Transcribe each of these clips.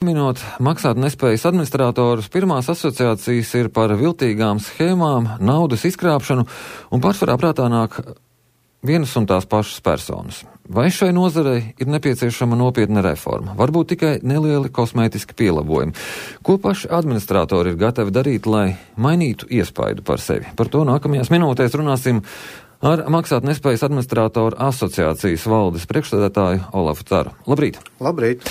Minot maksātnespējas administratorus, pirmās asociācijas ir par viltīgām schēmām, naudas izkrāpšanu un pārsvarā prātā nāk vienas un tās pašas personas. Vai šai nozarei ir nepieciešama nopietna reforma? Varbūt tikai nelieli kosmētiski pielabojumi. Ko paši administratori ir gatavi darīt, lai mainītu iespaidu par sevi? Par to nākamajās minūtēs runāsim ar maksātnespējas administratoru asociācijas valdes priekšsēdētāju Olafu Caru. Labrīt! Labrīt!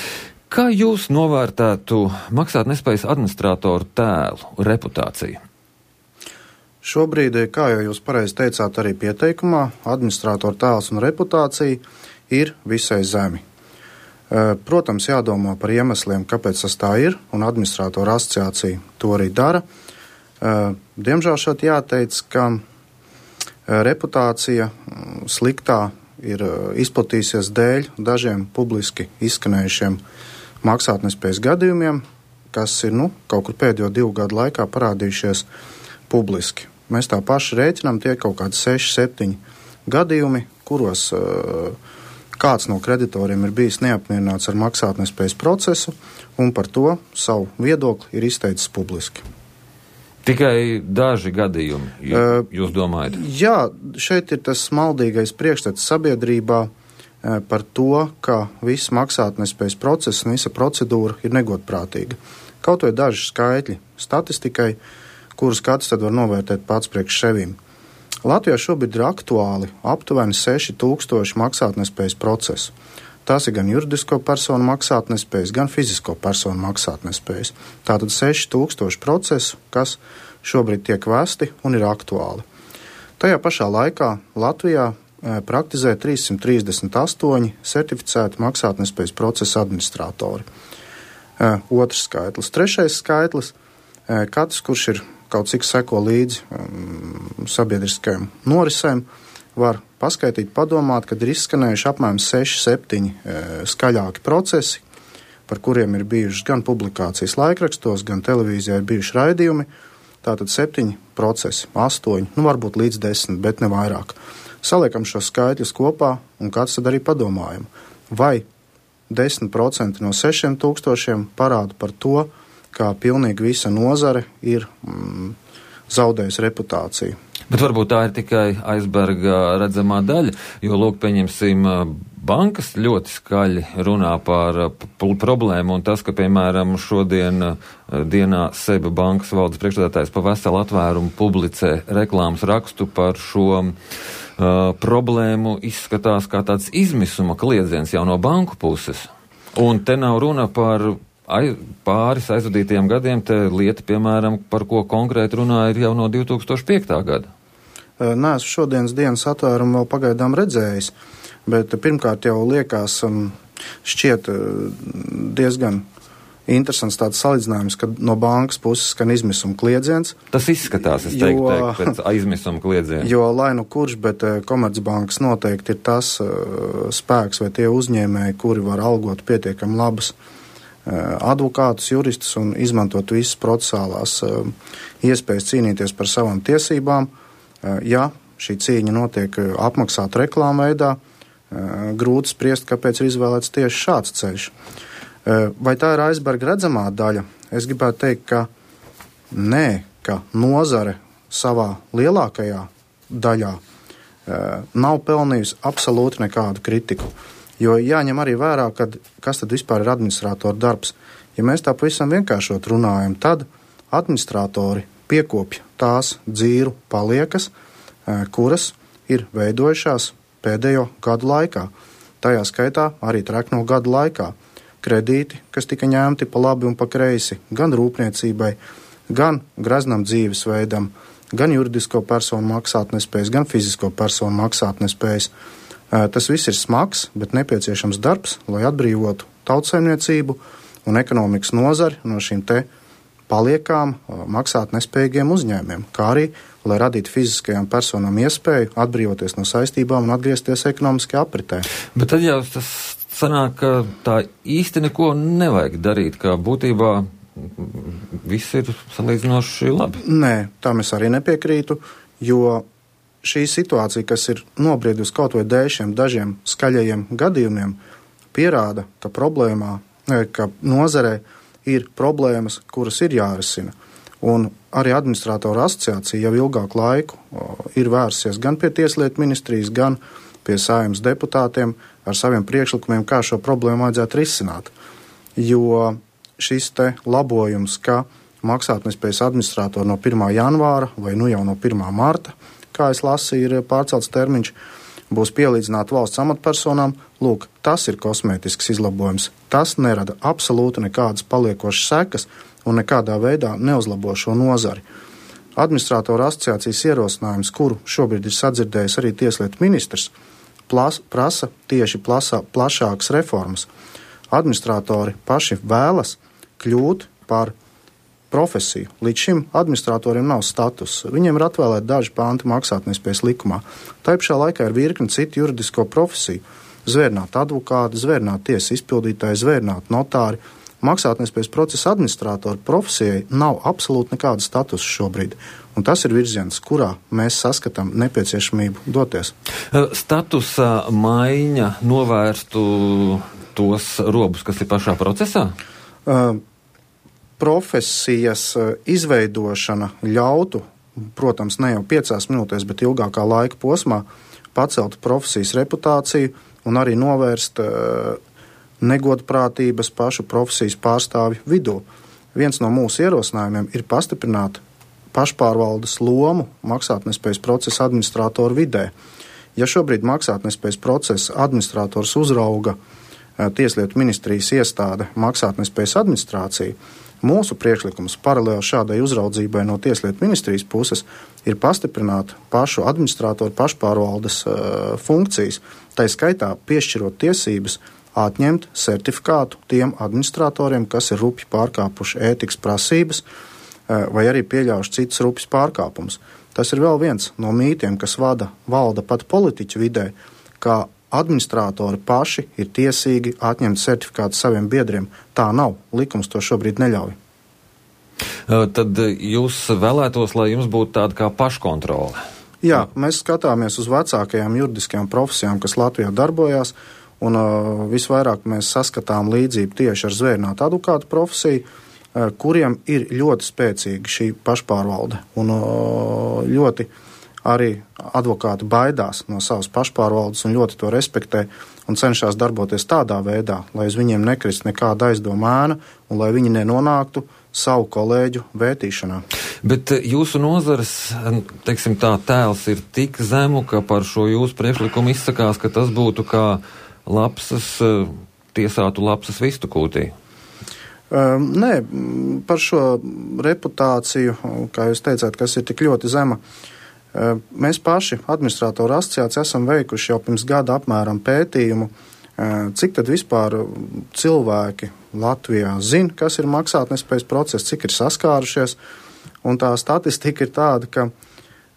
Kā jūs novērtētu maksātnespējas administratoru tēlu, reputāciju? Šobrīd, kā jau jūs pareizi teicāt arī pieteikumā, administratoru tēls un reputācija ir visai zemi. Protams, jādomā par iemesliem, kāpēc tas tā ir, un administratoru asociācija to arī dara. Diemžēl šeit jāteic, ka reputācija sliktā ir izplatījusies dēļ dažiem publiski izskanējušiem maksātnespējas gadījumiem, kas ir kaut kur pēdējo 2 gadu laikā parādījušies publiski. Mēs tā paši rēķinām, tie kaut kādi 6-7 gadījumi, kuros kāds no kreditoriem ir bijis neapmierināts ar maksātnespējas procesu un par to savu viedokli ir izteicis publiski. Tikai daži gadījumi, jūs domājat? Jā, šeit ir tas maldīgais priekšstats sabiedrībā par to, ka viss maksātnespējas process un visa procedūra ir negodprātīga. Kaut vai daži skaitļi statistikai, kurus katrs tad var novērtēt pats priekš sevīm. Latvijā šobrīd ir aktuāli aptuveni 6000 maksātnespējas procesu. Tas ir gan juridisko personu maksātnespējas, gan fizisko personu maksātnespējas. Tātad 6000 procesu, kas šobrīd tiek vesti un ir aktuāli. Tajā pašā laikā Latvijā praktizē 338 certificēti maksātnespējas procesa administratori. Otrs skaitlis. Trešais skaitlis. Katrs, kurš ir kaut cik seko līdzi sabiedriskajām norisēm, var paskaitīt, padomāt, kad ir izskanējuši apmēram 6-7 skaļāki procesi, par kuriem ir bijušas gan publikācijas laikrakstos, gan televīzijā ir bijuši raidījumi. Tātad 7 procesi, 8, varbūt līdz 10, bet ne vairāk. Saliekam šos skaitļus kopā un kāds tad arī padomājam, vai 10% no 6000 parāda par to, kā pilnīgi visa nozare ir zaudējusi reputāciju. Bet varbūt tā ir tikai aizberga redzamā daļa, jo, lūk, pieņemsim, bankas ļoti skaļi runā par problēmu, un tas, ka, piemēram, šodien dienā SEBA bankas valdes priekšsēdētājs pa veselu atvērumu publicē reklāmas rakstu par šo problēmu, izskatās kā tāds izmisuma kliedziens jau no banku puses. Un te nav runa par pāris aizvadītajiem gadiem, te lieta, piemēram, par ko konkrēti runā, ir jau no 2005. Gada. Neesmu šodienas dienas atvērumu vēl pagaidām redzējis, bet pirmkārt jau liekas šķiet diezgan interesants tāds salīdzinājums, ka no bankas puses skan izmisuma kliedziens. Tas izskatās, es teiktu, pēc izmisuma kliedziena. Jo lai nu kurš, bet Komercbankas noteikti ir tas spēks vai tie uzņēmēji, kuri var algot pietiekami labus advokātus, juristus un izmantot visas procesālās iespējas cīnīties par savām tiesībām. Ja šī cīņa notiek apmaksāta reklāma veidā, grūti spriest, kāpēc ir izvēlēts tieši šāds ceļš. Vai tā ir aizberga redzamā daļa? Es gribētu teikt, ka nē, ka nozare savā lielākajā daļā nav pelnījusi absolūti nekādu kritiku. Jo jāņem arī vērā, kas tad vispār ir administratoru darbs. Ja mēs tā pavisam vienkāršot runājam, tad administratori piekopja tās dzīru paliekas, kuras ir veidojušās pēdējo gadu laikā. Tajā skaitā arī trekno gadu laikā. Kredīti, kas tika ņemti pa labi un pa kreisi, gan rūpniecībai, gan greznam dzīvesveidam, gan juridisko personu maksātnespējas, gan fizisko personu maksātnespējas. Tas viss ir smags, bet nepieciešams darbs, lai atbrīvotu tautsaimniecību un ekonomikas nozari no šīm te paliekām maksātnespējīgiem uzņēmiem, kā arī, lai radītu fiziskajām personām iespēju atbrīvoties no saistībām un atgriezties ekonomiskajā apritē. Bet tad jau tas sanāk, ka tā īsti neko nevajag darīt, ka būtībā viss ir salīdzinoši labi. Nē, tam es arī nepiekrītu, jo šī situācija, kas ir nobriedusi kaut vai dēļ šiem dažiem skaļajiem gadījumiem, pierāda, ka problēmā, ka nozarē ir problēmas, kuras ir jārisina. Un arī administratoru asociācija jau ilgāku laiku ir vērsies gan pie Tieslietu ministrijas, gan pie Saeimas deputātiem ar saviem priekšlikumiem, kā šo problēmu vajadzētu risināt. Jo šis te labojums, ka maksātnespējas administratori no 1. janvāra vai nu jau no 1. marta, kā es lasīju, ir pārcelts termiņš, būs pielīdzināti valsts amatpersonām, lūk, tas ir kosmētisks izlabojums. Tas nerada absolūti nekādas paliekošas sekas un nekādā veidā neuzlabo šo nozari. Administratoru asociācijas ierosinājums, kuru šobrīd ir sadzirdējis arī Tieslietu ministrs, prasa tieši plašākas reformas. Administratori paši vēlas kļūt par profesiju. Līdz šim administratoriem nav status. Viņiem ir atvēlēti daži panti maksātnespējas likumā. Tā pašā laikā ir virkni citu juridisko profesiju. Zvērnāti advokāti, zvērnāti tiesas izpildītāji, zvērnāti notāri. Maksātnespējas procesa administratora profesijai nav absolūti nekāda statusa šobrīd. Un tas ir virziens, kurā mēs saskatām nepieciešamību doties. Statusa maiņa novērstu tos robus, kas ir pašā procesā? Profesijas izveidošana ļautu, protams, ne jau 5 minūtēs, bet ilgākā laika posmā, pacelt profesijas reputāciju un arī novērst negodprātības pašu profesijas pārstāvju vidū. Viens no mūsu ierosinājumiem ir pastiprināt pašpārvaldes lomu maksātnespējas procesa administratoru vidē. Ja šobrīd maksātnespējas procesa administrators uzrauga Tieslietu ministrijas iestāde maksātnespējas administrāciju, mūsu priekšlikums paralēli šādai uzraudzībai no Tieslietu ministrijas puses ir pastiprināt pašu administratoru pašpārvaldes funkcijas, tai skaitā piešķirot tiesības atņemt certifikātu tiem administratoriem, kas ir rupji pārkāpuši ētikas prasības vai arī pieļaujuši citus rupjus pārkāpumus. Tas ir vēl viens no mītiem, kas valda pat politiķu vidē, kā administratori paši ir tiesīgi atņemt certifikātu saviem biedriem. Tā nav. Likums to šobrīd neļauj. Tad jūs vēlētos, lai jums būtu tāda kā paškontrole? Jā, mēs skatāmies uz vecākajām juridiskajām profesijām, kas Latvijā darbojās, un visvairāk mēs saskatām līdzību tieši ar zvērnātu advokātu profesiju, kuriem ir ļoti spēcīga šī pašpārvalde, un ļoti arī advokāti baidās no savas pašpārvaldes un ļoti to respektē un cenšas darboties tādā veidā, lai uz viņiem nekrist nekāda aizdoma ēna un lai viņi nenonāktu savu kolēģu vētīšanā. Bet jūsu nozares, teiksim tā, tēls ir tik zemu, ka par šo jūsu priekšlikumu izsakās, ka tas būtu kā tiesātu lapsas vistu kūtī. Nē, par šo reputāciju, kā jūs teicāt, kas ir tik ļoti zema, mēs paši, administratoru asociācija, esam veikuši jau pirms gada apmēram pētījumu, cik tad vispār cilvēki Latvijā zina, kas ir maksātnespējas process, cik ir saskārušies, un tā statistika ir tāda, ka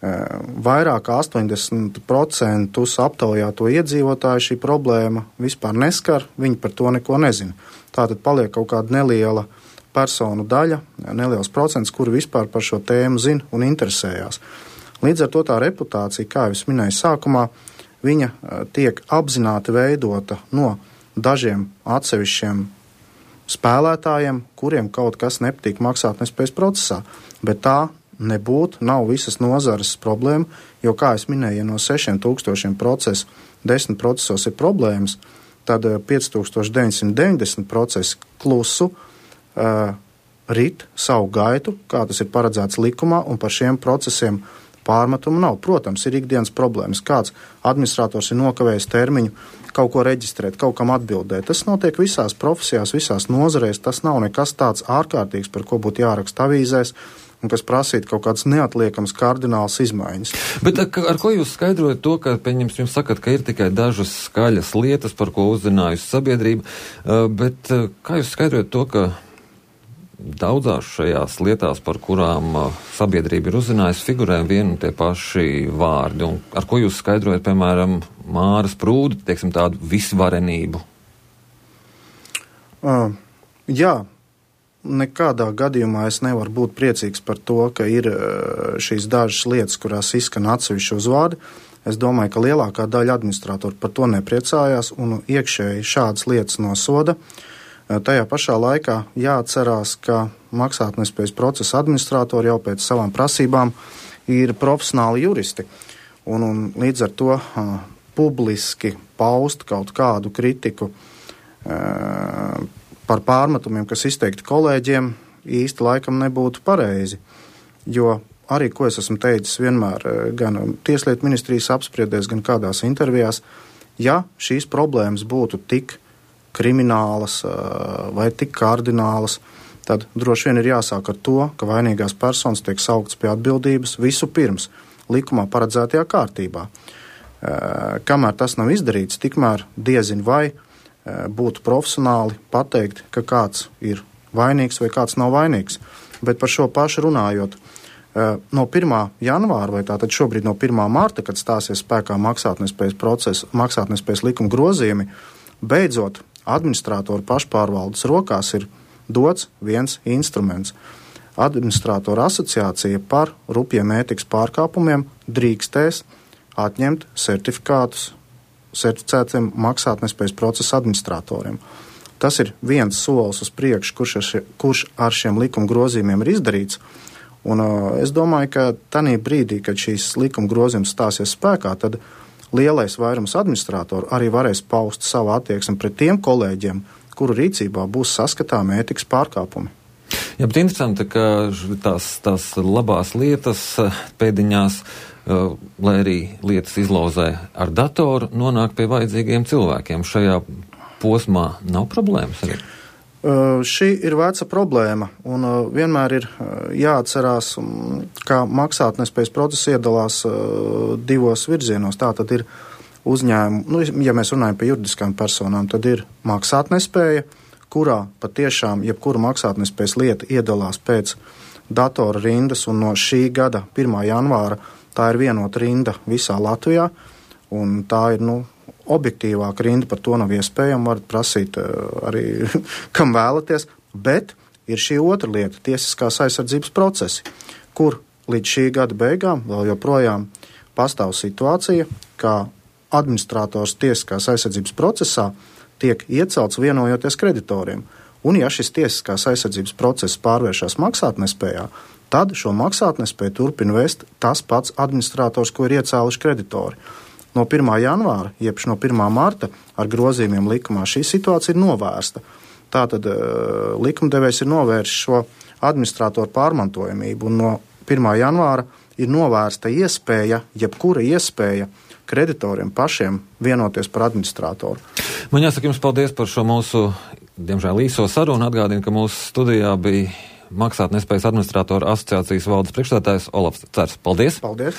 vairāk kā 80% aptaujāto iedzīvotāju šī problēma vispār neskar, viņi par to neko nezina. Tātad paliek kaut kāda neliela personu daļa, neliels procents, kuri vispār par šo tēmu zina un interesējās. Līdz ar to tā reputācija, kā jau es minēju sākumā, viņa tiek apzināti veidota no dažiem atsevišķiem spēlētājiem, kuriem kaut kas nepatīk maksātnespējas procesā, bet tā nav visas nozares problēma, jo, kā es minēju, ja no 6000 procesu 10 procesos ir problēmas, tad 5990 procesi klusu rit savu gaitu, kā tas ir paredzēts likumā, un par šiem procesiem pārmetumu nav. Protams, ir ikdienas problēmas. Kāds administrators ir nokavējis termiņu kaut ko reģistrēt, kaut kam atbildēt. Tas notiek visās profesijās, visās nozarēs. Tas nav nekas tāds ārkārtīgs, par ko būtu jāraksta avīzēs un kas prasītu kaut kādas neatliekamas kardinālas izmaiņas. Bet ar ko jūs skaidrojat to, ka, pieņemsim, jūs sakat, ka ir tikai dažas skaļas lietas, par ko uzzinājusi sabiedrība, bet kā jūs skaidrojat to, ka daudzās šajās lietās, par kurām sabiedrība ir uzzinājusi, figurē vien un tie paši vārdi? Un ar ko jūs skaidrojat, piemēram, Māras Prūdi, teiksim, tādu visvarenību? Jā, nekādā gadījumā es nevaru būt priecīgs par to, ka ir šīs dažas lietas, kurās izskan atsevišķi uzvārdi. Es domāju, ka lielākā daļa administratoru par to nepriecājās un iekšēji šādas lietas nosoda. Tajā pašā laikā jāatcerās, ka maksātnespējas procesa administratori jau pēc savām prasībām ir profesionāli juristi. Un līdz ar to publiski paust kaut kādu kritiku par pārmetumiem, kas izteikti kolēģiem, īsti laikam nebūtu pareizi. Jo arī, ko es esmu teicis vienmēr gan Tieslietu ministrijas apspriedēs, gan kādās intervijās, ja šīs problēmas būtu tik kriminālas vai tik kardinālas, tad droši vien ir jāsāk ar to, ka vainīgās personas tiek sauktas pie atbildības visu pirms likumā paredzētajā kārtībā. Kamēr tas nav izdarīts, tikmēr diezin vai būtu profesionāli pateikt, ka kāds ir vainīgs vai kāds nav vainīgs. Bet par šo pašu runājot, no 1. janvāra vai tātad šobrīd no 1. marta, kad stāsies spēkā maksātnespējas likuma grozījumi, beidzot administratoru pašpārvaldes rokās ir dots viens instruments. Administratoru asociācija par rupjiem ētikas pārkāpumiem drīkstēs atņemt certifikātus certificētiem maksātnespējas procesa administratoriem. Tas ir viens solis uz priekšu, kurš ar šiem likuma grozījumiem ir izdarīts. Un es domāju, ka tanī brīdī, kad šīs likuma grozījums stāsies spēkā, tad lielais vairums administratoru arī varēs paust savu attieksmi pret tiem kolēģiem, kuru rīcībā būs saskatāmi ētikas pārkāpumi. Jā, bet interesanti, ka tās labās lietas pēdiņās, lai arī lietas izlauzē ar datoru, nonāk pie vajadzīgiem cilvēkiem. Šajā posmā nav problēmas arī? Šī ir veca problēma, un vienmēr ir jāatcerās, ka maksātnespējas process iedalās divos virzienos. Tā tad ir uzņēmumi, ja mēs runājam par juridiskām personām, tad ir maksātnespēja, kurā patiešām jebkura maksātnespējas lieta iedalās pēc datora rindas, un no šī gada 1. janvāra tā ir vienota rinda visā Latvijā, un tā ir, objektīvāka rinda, par to nav iespējama, varat prasīt arī, kam vēlaties, bet ir šī otra lieta, tiesiskās aizsardzības procesi, kur līdz šī gada beigām vēl joprojām pastāv situācija, ka administrators tiesiskās aizsardzības procesā tiek iecelts vienojoties kreditoriem. Un ja šis tiesiskās aizsardzības process pārvēršas maksātnespējā, tad šo maksātnespēju turpina vest tas pats administrators, ko ir iecēluši kreditori. No 1. janvāra, jeb no 1. marta ar grozījumiem likumā šī situācija ir novērsta. Tātad likumdevējs ir novērsis šo administratoru pārmantojamību, un no 1. janvāra ir novērsta jebkura iespēja kreditoriem pašiem vienoties par administratoru. Man jāsaka jums paldies par šo mūsu, diemžēl, īso sarunu. Atgādinu, ka mūsu studijā bija Maksātnespējas administratoru asociācijas valdes priekšstādātājs Olafs Cers. Paldies! Paldies!